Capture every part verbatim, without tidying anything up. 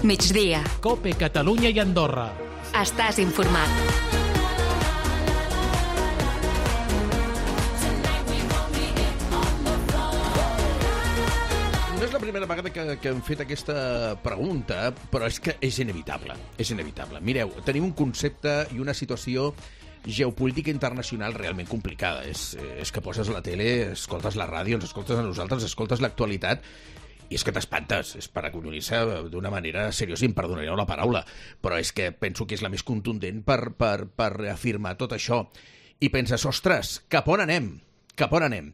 Migdia. COPE Catalunya i Andorra. Estàs informat. No és la primera vegada que, que hem fet aquesta pregunta, però és que és inevitable. És inevitable. Mireu, tenim un concepte i una situació geopolítica internacional realment complicada. És, és que poses la tele, escoltes la ràdio, ens escoltes a nosaltres, escoltes l'actualitat, i és que t'espantes, és per acollonir-se d'una manera seriosa, i em perdonareu la paraula, però és que penso que és la més contundent per, per, per reafirmar tot això. I penses, ostres, cap on anem? Cap on anem?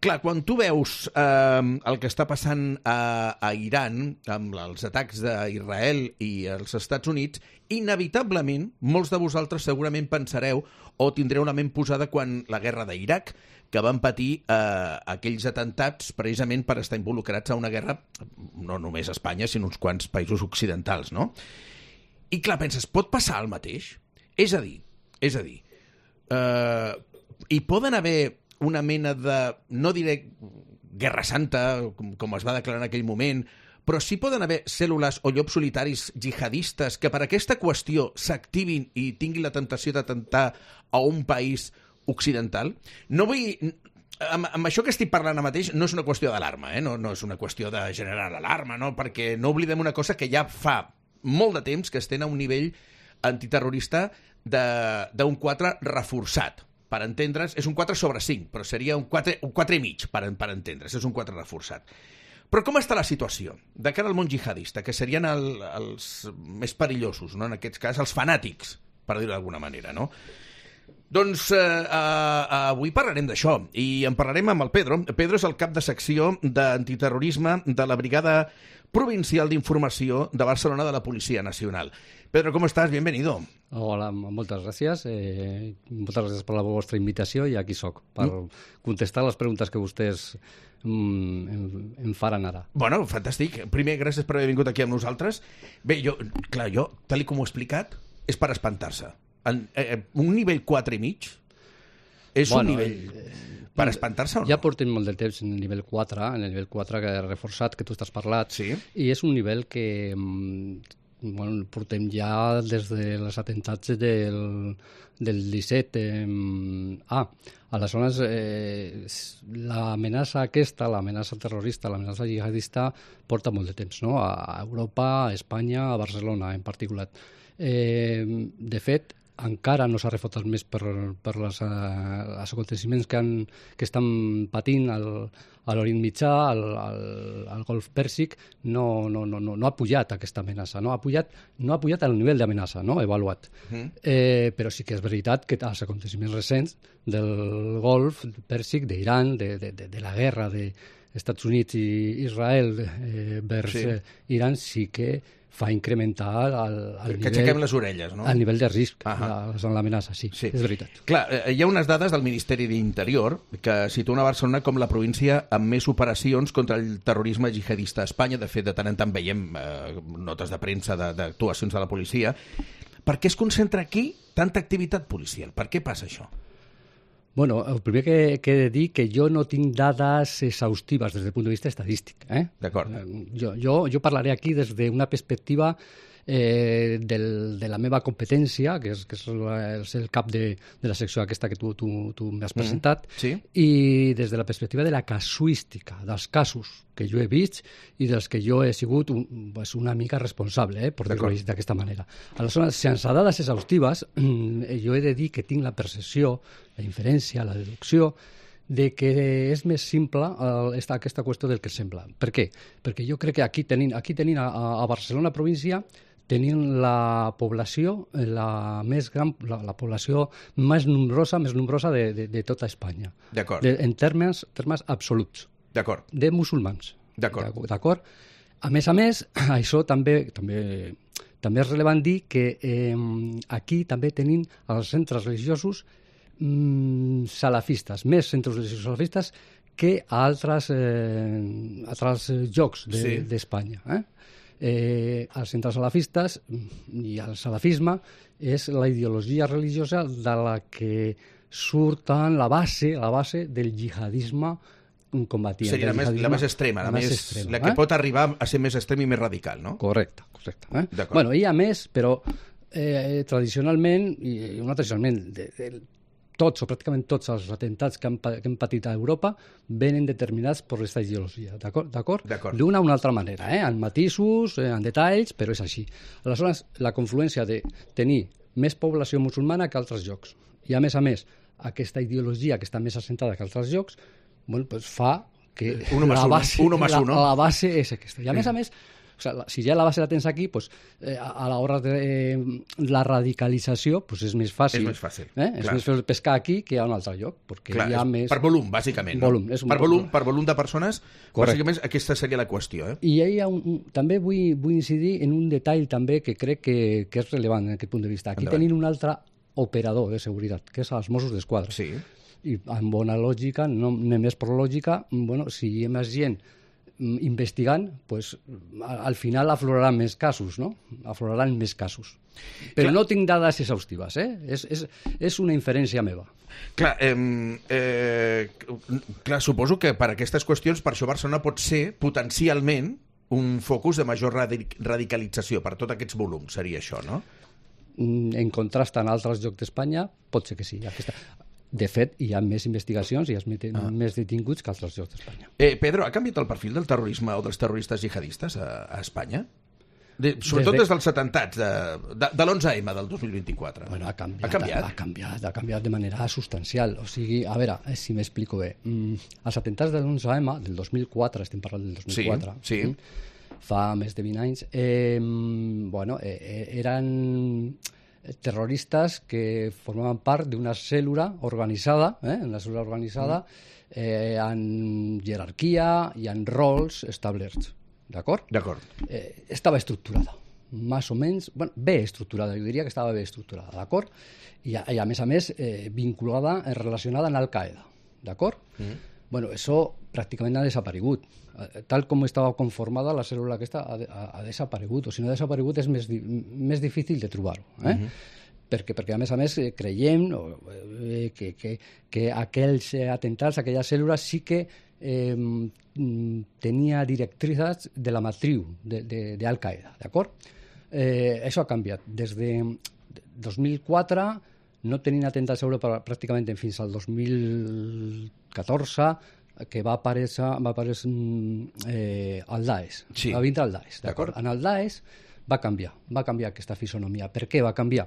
Clar, quan tu veus eh, el que està passant a, a Iran, amb els atacs d'Israel i els Estats Units, inevitablement, molts de vosaltres segurament pensareu o tindreu una ment posada quan la guerra d'Iraq, que van patir eh, aquells atentats precisament per estar involucrats a una guerra, no només a Espanya, sinó uns quants països occidentals, no? I clar, penses, pot passar el mateix? És a dir, és a dir, eh, hi poden haver una mena de, no diré guerra santa, com, com es va declarar en aquell moment, però sí poden haver cèl·lules o llops solitaris jihadistes que per aquesta qüestió s'activin i tinguin la tentació d'atemptar a un país occidental. No vull... Amb, amb això que estic parlant ara mateix no és una qüestió d'alarma, eh? no, no és una qüestió de generar alarma, no? Perquè no oblidem una cosa que ja fa molt de temps que estem a un nivell antiterrorista d'un quatre reforçat. Per entendre's, és un quatre sobre cinc, però seria un quatre, un quatre i mig, per, per entendre's, és un quatre reforçat. Però com està la situació de cara al món jihadista, que serien el, els més perillosos, no? En aquest cas, els fanàtics, per dir-ho d'alguna manera, no? Doncs eh, eh, avui parlarem d'això, i en parlarem amb el Pedro. Pedro és el cap de secció d'antiterrorisme de la Brigada Provincial d'Informació de Barcelona de la Policia Nacional. Pedro, ¿cómo estás? Bienvenido. Hola, moltes gràcies. Eh, moltes gràcies per la vostra invitació i aquí soc, per mm. contestar les preguntes que vostès mm, em, em faran ara. Bueno, fantàstic. Primer, gràcies per haver vingut aquí amb nosaltres. Bé, jo, clar, jo, tal com ho he explicat, és per espantar-se. En, eh, un nivell quatre i mig és bueno, un nivell eh, per espantar-se o no? Ja portem molt de temps en el nivell quatre, en el nivell quatre que reforçat, que tu estàs parlat, sí. I és un nivell que bueno, portem ja des dels atentats del, del disset. Eh, ah, aleshores, eh, l'amenaça aquesta, l'amenaça terrorista, l'amenaça jihadista, porta molt de temps, no? A Europa, a Espanya, a Barcelona en particular. Eh, de fet, encara no s'ha refotat més per, per les, uh, els aconteciments que, han, que estan patint al, a l'Orient Mitjà, al, al, al Golf Pèrsic, no, no, no, no, no ha pujat aquesta amenaça, no ha pujat, no ha pujat al nivell d'amenaça, no? Avaluat. Mm. Eh, però sí que és veritat que els aconteciments recents del Golf Pèrsic, d'Iran, de, de, de, de la guerra dels Estats Units i Israel eh, vers sí. eh, Iran, sí que fa incrementar el, el que nivell... aixequem les orelles, no? El nivell de risc uh -huh. en l'amenaça, sí, sí, és veritat. Clar, eh, hi ha unes dades del Ministeri d'Interior que situen a Barcelona com la província amb més operacions contra el terrorisme jihadista a Espanya. De fet, de tant en tant veiem eh, notes de premsa d'actuacions de, de la policia. Per què es concentra aquí tanta activitat policial? Per què passa això? Bueno, el primer que, que he de dir que jo no tinc dades exhaustives des del punt de vista estadístic. Eh? D'acord. Jo, jo, jo parlaré aquí des d'una perspectiva eh, del, de la meva competència, que és, que és, la, és el cap de, de la secció aquesta que tu, tu, tu m'has presentat, mm, sí. I des de la perspectiva de la casuística, dels casos que jo he vist i dels que jo he sigut un, pues una mica responsable, eh, per dir-ho d'aquesta manera. Aleshores, sense dades exhaustives, jo he de dir que tinc la percepció, la inferència, la deducció, de que és més simple eh, esta, aquesta qüestió del que sembla. Per què? Perquè jo crec que aquí tenim, aquí tenim a, a Barcelona província tenim la població la més gran, la, la població més nombrosa, més nombrosa de, de, de tota Espanya. D'acord. En termes, termes absoluts. D'acord. De musulmans. D'acord. D'acord. A més a més, això també, també, també és relevant dir que eh, aquí també tenim els centres religiosos mm, salafistes, més centres religiosos salafistes que a altres, eh, altres llocs d'Espanya. De, sí. eh? Eh, els centres salafistes i el salafisme és la ideologia religiosa de la que surten la base, la base del jihadisme combatien. Seria la més, la més extrema, la, la, més, extrema, la que eh? pot arribar a ser més extrem i més radical, no? Correcte, correcte. Eh? Bueno, hi ha més, però eh, tradicionalment, i no tradicionalment, de, de, tots o pràcticament tots els atentats que han, que han patit a Europa venen determinats per aquesta ideologia, d'acord? D'una o una altra manera, eh? En matisos, eh, en detalls, però és així. Aleshores, la confluència de tenir més població musulmana que altres llocs, i a més a més, aquesta ideologia que està més assentada que altres llocs, bueno, pues fa que uno la, base, uno más uno. La, la base és aquesta. I a més a més, o sea, si ja la base la tens aquí, pues, eh, a l'hora de eh, la radicalització pues és més fàcil. És més fàcil. Eh? És més fàcil pescar aquí que a un altre lloc. Perquè clar, hi ha més... Per volum, bàsicament. Volum, no? és un per, volum, per volum de persones, correcte. Bàsicament aquesta seria la qüestió. Eh? I hi ha un, un, també vull, vull incidir en un detall també que crec que, que és rellevant en aquest punt de vista. Aquí Endavant. Tenim un altre operador de seguretat, que és els Mossos d'Esquadra. Sí. I amb bona lògica, no només per lògica, bueno, si hi ha més gent investigant, pues, al final afloraran més casos, no? Afloraran més casos. Però clar, no tinc dades exhaustives, eh? És, és, és una inferència meva. Clar, eh, eh, clar, suposo que per aquestes qüestions, per això Barcelona pot ser potencialment un focus de major radicalització per tots aquests volums, seria això, no? En contrast en altres llocs d'Espanya, pot ser que sí. Aquesta... De fet, hi ha més investigacions i hi ha ah. més detinguts que altres llocs d'Espanya. Eh, Pedro, ha canviat el perfil del terrorisme o dels terroristes jihadistes a, a Espanya? De, sobretot des, de... des dels atentats de, de, de l'onze eme del dos mil vint-i-quatre. Bueno, ha canviat, ha canviat. Ha, ha canviat, ha canviat de manera substancial. O sigui, a veure, si m'explico bé. Mm, els atentats de l'onze eme, del dos mil quatre, estem parlant del dos mil quatre, sí, sí. Mm, fa més de vint anys, eh, bueno, eh, eren... terroristes que formaven part d'una cèl·lula organitzada, eh, una cèl·lula organitzada eh, en jerarquia i en rols establerts. D'acord? D'acord. Eh, estava estructurada, més o menys, bueno, bé estructurada, jo diria que estava bé estructurada, d'acord? I, I a més a més eh, vinculada, eh, relacionada amb Al-Qaeda, d'acord? Mm. Bueno, això pràcticament ha desaparegut. Tal com estava conformada, la cèl·lula aquesta ha, ha, ha desaparegut, o si no ha desaparegut és més, més difícil de trobar-ho. Eh? Mm-hmm. perquè, perquè, a més a més, creiem eh, que, que, que aquells atentats, aquella cèl·lula, sí que eh, tenia directrices de la matriu d'Al-Qaeda, d'acord? Eh, això ha canviat. Des de dos mil quatre no tenien atentats a Europa pràcticament fins al dos mil catorze, que va aparèixer, va aparèixer eh, el Daesh, sí. Va vindre el Daesh, d'acord? En el Daesh va canviar, va canviar aquesta fisonomia. Per què va canviar?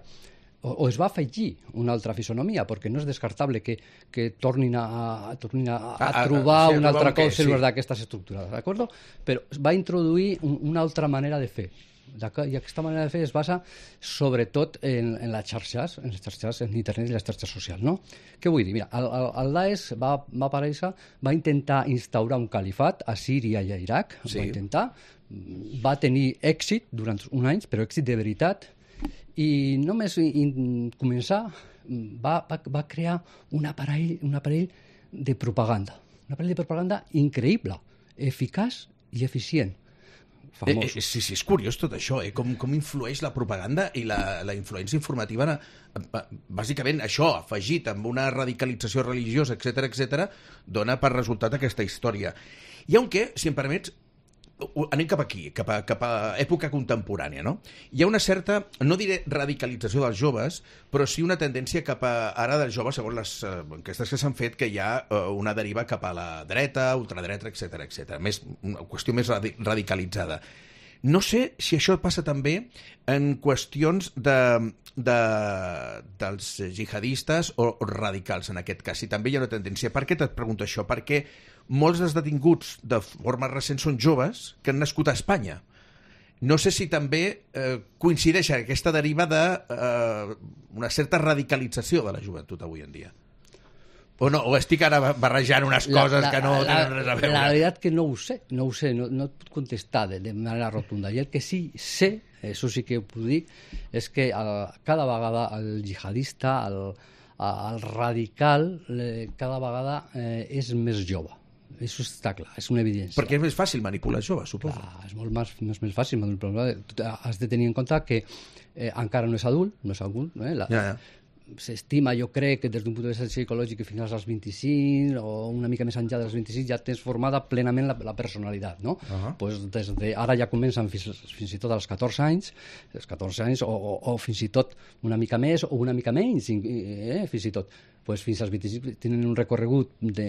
O, o es va afegir una altra fisonomia, perquè no és descartable que, que tornin a, a, tornin a, a, a trobar a, a, una altra cosa cèl·lules sí. d'aquestes estructurades, d'acord? Però va introduir un, una altra manera de fer. I aquesta manera de fer es basa sobretot en, en les xarxes, en les xarxes, en internet i les xarxes socials, no? Què vull dir? Mira, el, el, el Daesh va, va aparèixer, va intentar instaurar un califat a Síria i a Iraq, sí. va intentar, va tenir èxit durant un any, però èxit de veritat, i només in, començar va, va, va crear un aparell, un aparell de propaganda, un aparell de propaganda increïble, eficaç i eficient. Eh, eh, sí, sí, és curiós tot això, eh? com, com influeix la propaganda i la, la influència informativa, bàsicament això, afegit amb una radicalització religiosa, etcètera, etcètera, dona per resultat aquesta història. I aunque, si em permets, anem cap aquí, cap a, cap a època contemporània, no? Hi ha una certa, no diré radicalització dels joves, però sí una tendència cap a, ara dels joves, segons les uh, enquestes que s'han fet, que hi ha uh, una deriva cap a la dreta, ultradreta, etcètera, etcètera. Més, una qüestió més radi radicalitzada. No sé si això passa també en qüestions de, de, dels jihadistes o, o radicals, en aquest cas. Si també hi ha una tendència. Per què et pregunto això? Perquè molts dels detinguts de forma recent són joves que han nascut a Espanya. No sé si també eh, coincideix aquesta deriva de eh, una certa radicalització de la joventut avui en dia. O no, o estic ara barrejant unes coses la, la, que no la, tenen res a veure. La veritat que no ho sé, no ho sé, no, no et puc contestar de, de manera rotunda. I el que sí sé, això sí que ho puc dir, és que el, cada vegada el jihadista, el, el radical, eh, cada vegada eh, és més jove. Això està clar, és una evidència. Perquè és més fàcil manipular joves, suposo. Clar, és molt més, més, més fàcil manipular. Has de tenir en compte que eh, encara no és adult, no és adult, eh? La, ja, ja. s'estima, jo crec, que des d'un punt de vista psicològic que fins als vint-i-cinc o una mica més enllà dels vint-i-cinc ja tens formada plenament la, la personalitat, no? Uh-huh. Pues des de, ara ja comencen fins, fins i tot als catorze anys, els catorze anys o, o, o fins i tot una mica més o una mica menys, eh, fins i tot. Pues fins als vint-i-cinc tenen un recorregut de,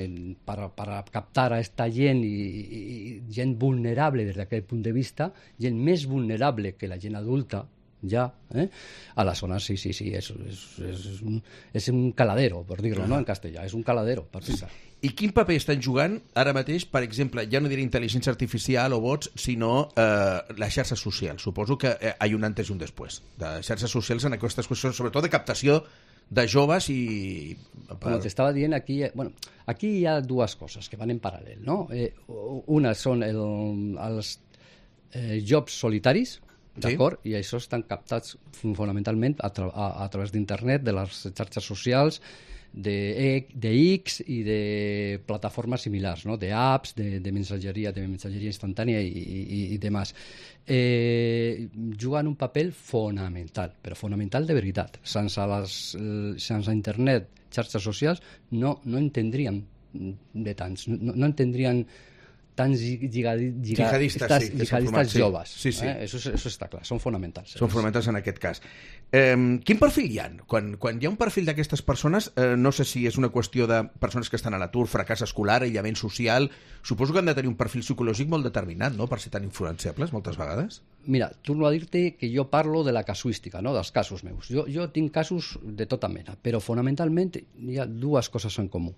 per, per captar a esta gent i, i, i gent vulnerable des d'aquest punt de vista, gent més vulnerable que la gent adulta, ja, eh? A la zona, sí, sí, sí, és, és, és, un, és un caladero, per dir-lo, no en castellà, és un caladero, per dir-ho. I quin paper estan jugant ara mateix, per exemple, ja no diré intel·ligència artificial o bots, sinó eh, les xarxes socials? Suposo que eh, hi ha un antes i un després de xarxes socials en aquestes qüestions, sobretot de captació de joves i... Com t'estava dient, aquí, bueno, aquí hi ha dues coses que van en paral·lel, no? Eh, una són el, els eh, jobs solitaris, d'acord? Sí. I això estan captats fonamentalment a, tra a, a través d'internet, de les xarxes socials, de, de X i de plataformes similars, no? De apps, de, de mensajeria, de mensajeria instantània i, i, i demás. Eh, juguen un paper fonamental, però fonamental de veritat. Sense, les, sense internet, xarxes socials, no, no entendríem de tants, no, no entendrien tants lligadi, lliga, jihadistes, estas, sí, jihadistes sí. joves. Sí, sí. Eh? Eso, eso està clar, són fonamentals. Són fonamentals en aquest cas. Eh, quin perfil hi ha? Quan, quan hi ha un perfil d'aquestes persones, eh, no sé si és una qüestió de persones que estan a l'atur, fracàs escolar, aïllament social, suposo que han de tenir un perfil psicològic molt determinat, no?, per ser tan influenciables moltes vegades. Mira, torno a dir-te que jo parlo de la casuística, no?, dels casos meus. Jo, jo tinc casos de tota mena, però fonamentalment hi ha dues coses en comú.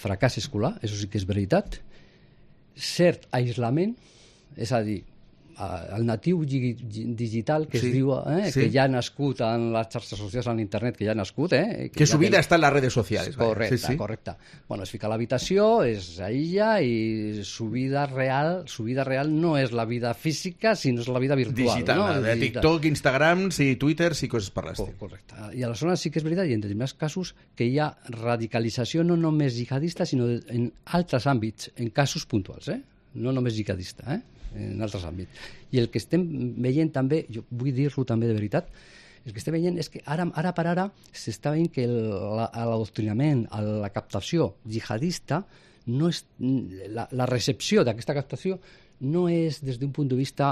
Fracàs escolar, això sí que és veritat, cert aislament, és a dir, el natiu digital que sí, es diu, eh, sí. que ja ha nascut en les xarxes socials, en internet, que ja ha nascut, eh, que, que su vida que... està en les redes socials. Correcte, sí, sí. correcte. Bueno, es fica a l'habitació, es aïlla i su vida real, su vida real no és la vida física, sinó és la vida virtual. Digital, no? de Digital. TikTok, Instagram, sí, Twitter, sí, coses per l'estil. Correcte. I aleshores sí que és veritat, i en determinats casos, que hi ha radicalització no només jihadista, sinó en altres àmbits, en casos puntuals, eh? No només jihadista, eh? En altres àmbits. I el que estem veient també, jo vull dir-lo també de veritat, el que estem veient és que ara, ara per ara s'està veient que l'adoctrinament, la captació jihadista, no és, la, la recepció d'aquesta captació no és des d'un punt de vista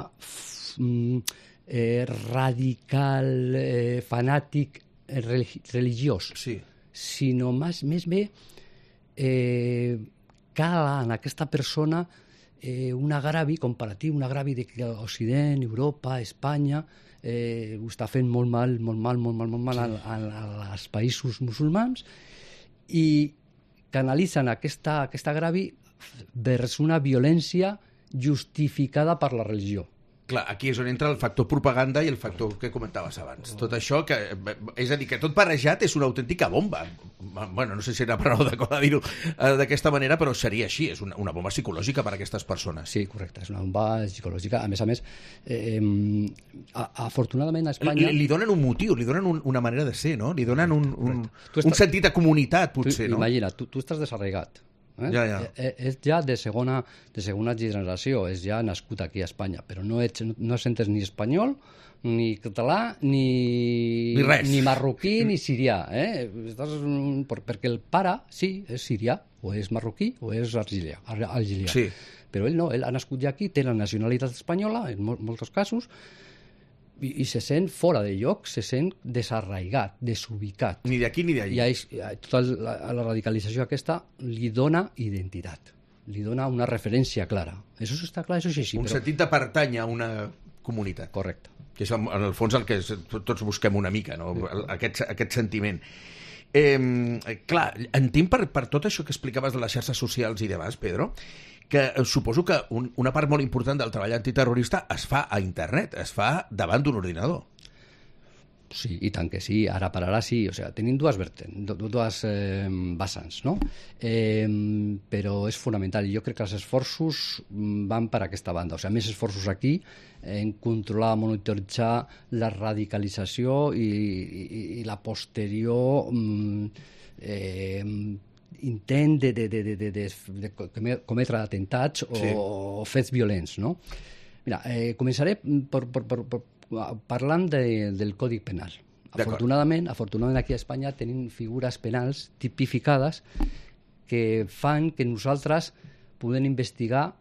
eh, radical, eh, fanàtic, eh, religiós, sí. Sinó més, més bé eh, cala en aquesta persona Eh, un agravi comparatiu, un agravi de que l'Occident, Europa, Espanya eh, ho està fent molt mal, molt mal, molt mal, molt mal sí. als països musulmans i canalitzen aquesta, aquesta agravi vers una violència justificada per la religió. Clar, aquí és on entra el factor propaganda i el factor que comentaves abans. Tot això, que, és a dir, que tot barrejat és una autèntica bomba. Bueno, no sé si era paraula adequada dir-ho d'aquesta manera, però seria així, és una, una bomba psicològica per a aquestes persones. Sí, correcte, és una bomba psicològica. A més a més, eh, afortunadament a Espanya... Li, li donen un motiu, li donen un, una manera de ser, no? Li donen un, un, estàs, un sentit de comunitat, potser, tu, no? Imagina, tu, tu estàs desarraigat. Eh? Ja, ja. Eh, és ja de segona, de segona generació, és ja nascut aquí a Espanya, però no, ets, no sentes ni espanyol, ni català, ni, ni, res. ni marroquí, ni sirià. Eh? Estàs, perquè el pare, sí, és sirià, o és marroquí, o és argilià. argilià. Sí. Però ell no, ell ha nascut ja aquí, té la nacionalitat espanyola, en mol, molts casos, i, i se sent fora de lloc, se sent desarraigat, desubicat. Ni d'aquí ni d'allà. I a, tota la, la radicalització aquesta li dona identitat, li dona una referència clara. Això està clar, això és així. Un però... sentit de pertany a una comunitat. Correcte. Que és en el fons el que tots busquem una mica, no? aquest, aquest sentiment. Eh, clar, entenc per, per tot això que explicaves de les xarxes socials i demás, Pedro, que suposo que un, una part molt important del treball antiterrorista es fa a internet, es fa davant d'un ordinador. Sí, i tant que sí, ara per ara sí, o sigui, tenim dues vertents, dues eh, vessants, no? Eh, però és fonamental, i jo crec que els esforços van per aquesta banda, o sigui, més esforços aquí en controlar, monitoritzar la radicalització i, i, i la posterior eh, intent de, de, de, de, de, de cometre atentats o, sí. o fets violents, no? Mira, eh, començaré per, per, per, per, parlant de, del Codi Penal. Afortunadament, afortunadament aquí a Espanya tenim figures penals tipificades que fan que nosaltres podem investigar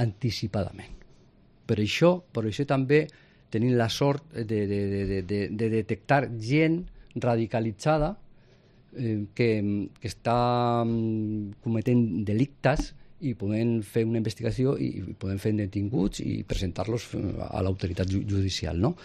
anticipadament. Per això, per això també tenim la sort de, de, de, de, de detectar gent radicalitzada eh, que, que està cometent delictes i podem fer una investigació i podem fer detinguts i presentar-los a l'autoritat judicial, no?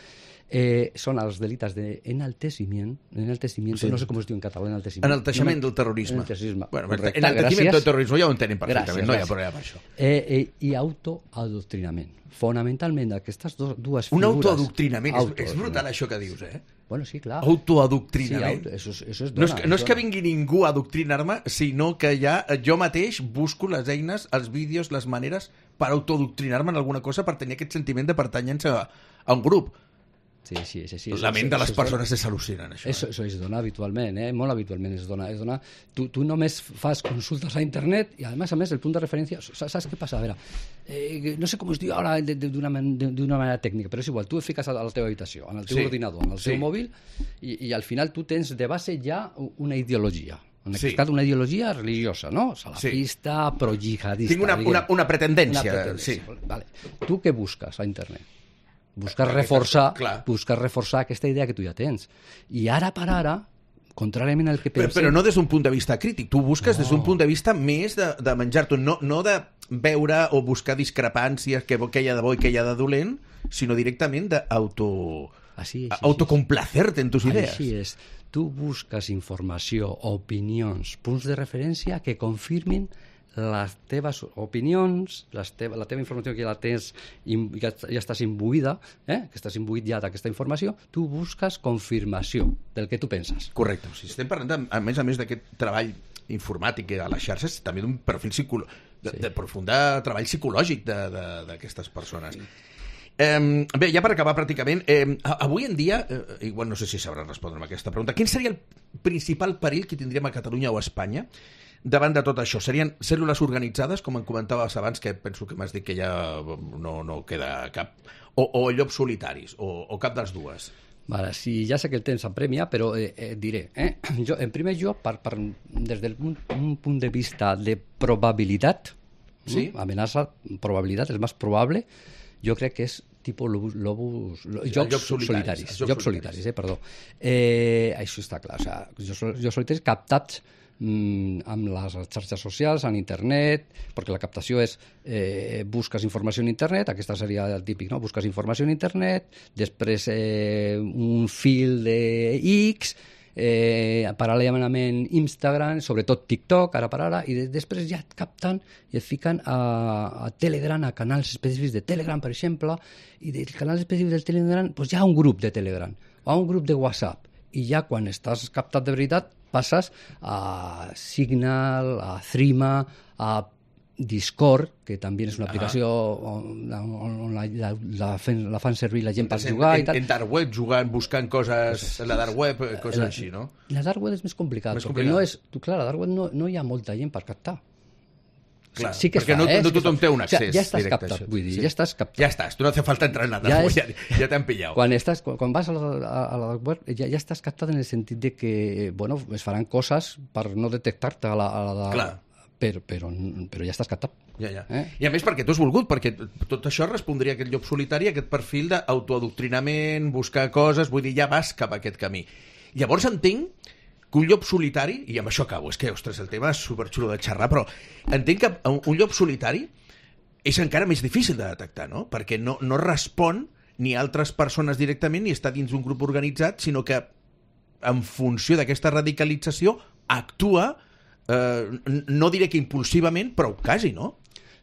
Eh, són els delictes d'enalteciment, enalteciment, sí. No sé com es diu en català, enalteciment. Enalteixement del terrorisme. Enalteixisme. Bueno, enalteixement del terrorisme ja ho entenem perfectament, gràcies, no hi ha problema per això. Eh, eh, I autoadoctrinament. Fonamentalment, aquestes do, dues figures... Un autoadoctrinament, auto és, és brutal això que dius, eh? Bueno, sí, clar. Autoadoctrinament. Sí, auto, eso, eso es dona, no és, que, no és que vingui ningú a adoctrinar-me, sinó que ja jo mateix busco les eines, els vídeos, les maneres per autoadoctrinar-me en alguna cosa, per tenir aquest sentiment de pertanyença a, a un grup. Sí, sí, sí, sí. La ment de les persones és al·lucinen, això. Això, això es dona habitualment, eh? Molt habitualment es dona. Es dona... Tu, tu només fas consultes a internet i, a més a més, el punt de referència... Saps què passa? A veure, eh, no sé com es diu ara d'una manera tècnica, però és igual. Tu et fiques a la teva habitació, en el teu sí. ordinador, en el teu sí. mòbil, i, i al final tu tens de base ja una ideologia. En aquest sí. cas, una ideologia religiosa, no? Salafista, sí. pro-jihadista. Tinc una, una, una pretendència. Una pretendència. Sí. Vale. Tu què busques a internet? Buscar reforçar, buscar reforçar aquesta idea que tu ja tens. I ara per ara, contràriament al que pensem... Però, però no des d'un punt de vista crític. Tu busques no. des d'un punt de vista més de, de menjar-t'ho, no, no de veure o buscar discrepàncies, què, què hi ha de bo i què hi ha de dolent, sinó directament d'auto... Així, així, autocomplacerte en tus idees. Així és. Tu busques informació, opinions, punts de referència que confirmin les teves opinions, les teva, la teva informació que ja la tens, ja, ja estàs imbuïda, eh? que estàs imbuït ja d'aquesta informació, tu busques confirmació del que tu penses. Correcte. O sigui, estem parlant, de, a més a més d'aquest treball informàtic a les xarxes, també d'un perfil psicolo... de, sí. de profund treball psicològic d'aquestes persones. Eh, bé, ja per acabar pràcticament, eh, avui en dia, eh, igual no sé si sabràs respondre'm aquesta pregunta, quin seria el principal perill que tindríem a Catalunya o a Espanya davant de tot això? Serien cèl·lules organitzades, com em comentaves abans, que penso que m'has dit que ja no, no queda cap, o, o llops solitaris, o, o cap dels dues? Vale, sí, ja sé que el temps apremia, però eh, eh, diré, eh? jo, en primer lloc, per, per, des del punt, un punt de vista de probabilitat, sí? ¿no? Amenaça, probabilitat, el més probable, jo crec que és tipus lobus, lobus, jocs, jocs solitaris, solitaris, jocs solitaris, eh, perdó. Eh, això està clar, o sigui, jocs, jocs solitaris captats mm, amb les xarxes socials, en internet, perquè la captació és eh, busques informació en internet, aquesta seria el típic, no? Busques informació en internet, després eh, un fil de X, eh, paral·lelament Instagram, sobretot TikTok, ara per ara, i de, després ja et capten i et fiquen a, a Telegram, a canals específics de Telegram, per exemple, i del canal específic del Telegram doncs hi ha un grup de Telegram, o un grup de WhatsApp, i ja quan estàs captat de veritat passes a Signal, a Threema, a Discord, que també és una aplicació ah. on, on la, la, la, fan, la fan servir la gent per jugar en, i tal. En dark web, jugant, buscant coses en la dark web, coses la, així, no? La dark web és més complicat, més perquè complicat. no és... Clar, a la dark web no, no hi ha molta gent per captar. Clar, sí que perquè fa, no, eh? no tothom té un accés. O sigui, ja estàs directe, captat, això. vull dir, sí. ja estàs captat. Ja estàs, tu no hace falta entrar en la dark ja web, és... ja, ja t'han pillat. Quan, estàs, quan, quan vas a la, a la dark web ja, ja estàs captat en el sentit de que, bueno, es faran coses per no detectar-te a la, a la Clar. Però, però, però ja estàs captat. Ja, ja. Eh? I a més perquè tu has volgut, perquè tot això respondria a aquest llop solitari, a aquest perfil d'autoadoctrinament, buscar coses, vull dir, ja vas cap a aquest camí. Llavors entenc que un llop solitari, i amb això acabo, és que, ostres, el tema és superxulo de xerrar, però entenc que un llop solitari és encara més difícil de detectar, no? Perquè no, no respon ni a altres persones directament ni està dins un grup organitzat, sinó que en funció d'aquesta radicalització actua, eh, no diré que impulsivament, però quasi, no?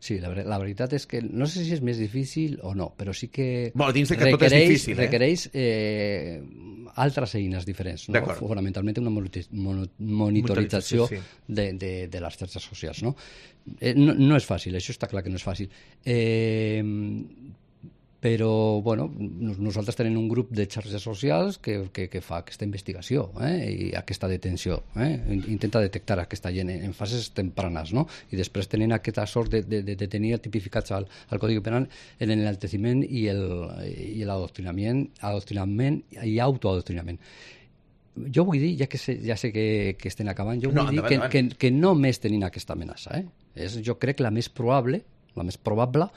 Sí, la, la veritat és que no sé si és més difícil o no, però sí que, bueno, dins de que requereix, tot és difícil, eh? requereix eh, altres eines diferents, no? Fonamentalment una monitorització sí. de, de, de les xarxes socials, no? Eh, no? No és fàcil, això està clar que no és fàcil. Eh, però, bueno, nosaltres tenim un grup de xarxes socials que, que, que fa aquesta investigació eh? I aquesta detenció. Eh? Intenta detectar aquesta gent en fases tempranes, no? I després tenen aquesta sort de, de, de tenir tipificats al, al Codi Penal l'enalteciment i l'adoctrinament adoctrinament i autoadoctrinament. jo vull dir, ja que sé, ja sé que, que estem acabant, jo vull No, dir endavant, que, endavant. que, que només tenim aquesta amenaça. Eh? És, jo crec la més probable, la més probable,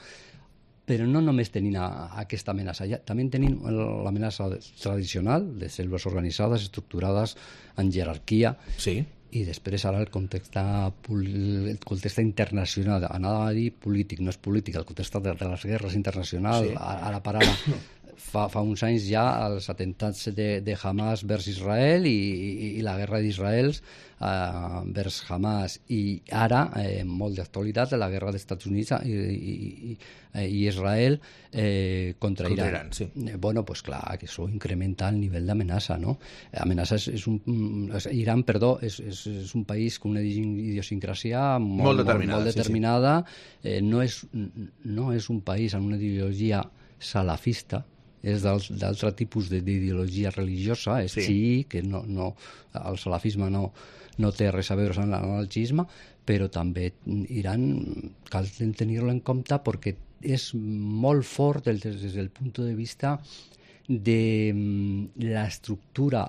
però no només tenim a, a aquesta amenaça. Ja, també tenim l'amenaça tradicional de cèl·lules organitzades, estructurades en jerarquia, Sí. i després ara el context, el context internacional, anava a dir polític, no és polític, el context de, de les guerres internacionals, Sí. ara per ara, fa, fa uns anys ja els atentats de, de Hamas vers Israel i, i, i la guerra d'Israel eh, vers Hamas, i ara, eh, molt d'actualitat, la guerra dels Estats Units i, i, i, i Israel eh, contra, Contra Iran. Iran, sí. Eh, bueno, pues clar, que això incrementa el nivell d'amenaça, no? Amenaça és, és un... És, Iran, perdó, és, és, és un país amb una idiosincràsia molt, Molt determinada, molt, molt sí, sí. determinada. Eh, no, és, no és un país amb una ideologia salafista, és d'altre tipus d'ideologia religiosa, és Sí. xií, que no, no, el salafisme no, no té res a veure amb l'anarquisme, però també Iran cal tenir-lo en compte perquè és molt fort des, des del punt de vista de l'estructura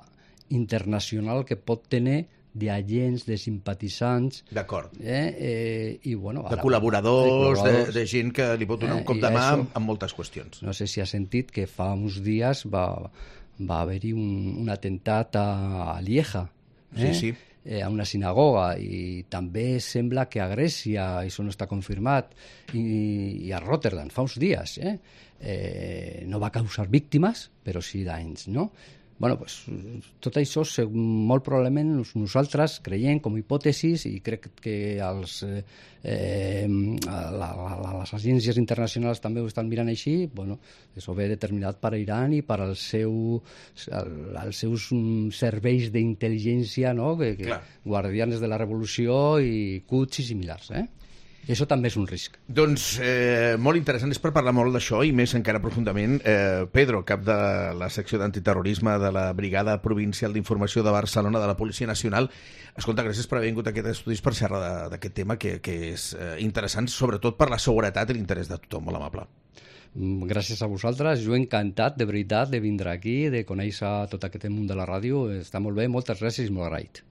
internacional que pot tenir d'agents, de simpatitzants, D'acord. eh, eh, i bueno... De ara, col·laboradors, de, de, de gent que li pot donar Eh, un cop i de mà això- en, en moltes qüestions. No sé si ha sentit que fa uns dies va, va haver-hi un, un atemptat a, a Lieja, eh? Sí, sí. Eh, a una sinagoga, i també sembla que a Grècia, això no està confirmat, i, i a Rotterdam, fa uns dies. Eh? Eh, no va causar víctimes, però sí danys, no? Bueno, pues, tot això molt probablement nosaltres creiem com a hipòtesis, i crec que els, eh, eh, la, la, les agències internacionals també ho estan mirant així. Bueno, això ve determinat per Iran i per al seu, el, els seus serveis d'intel·ligència, no? que, que Clar. guardianes de la revolució i Quds i similars. Eh? I això també és un risc. Doncs eh, molt interessant, és per parlar molt d'això i més encara profundament. Eh, Pedro, cap de la secció d'antiterrorisme de la Brigada Provincial d'Informació de Barcelona de la Policia Nacional. Escolta, gràcies per haver vingut a aquest estudis per xerrar d'aquest tema que, que és eh, interessant, sobretot per la seguretat i l'interès de tothom. Molt amable. Gràcies a vosaltres, jo encantat, de veritat, de vindre aquí, de conèixer tot aquest món de la ràdio. Està molt bé, moltes gràcies i molt agraït.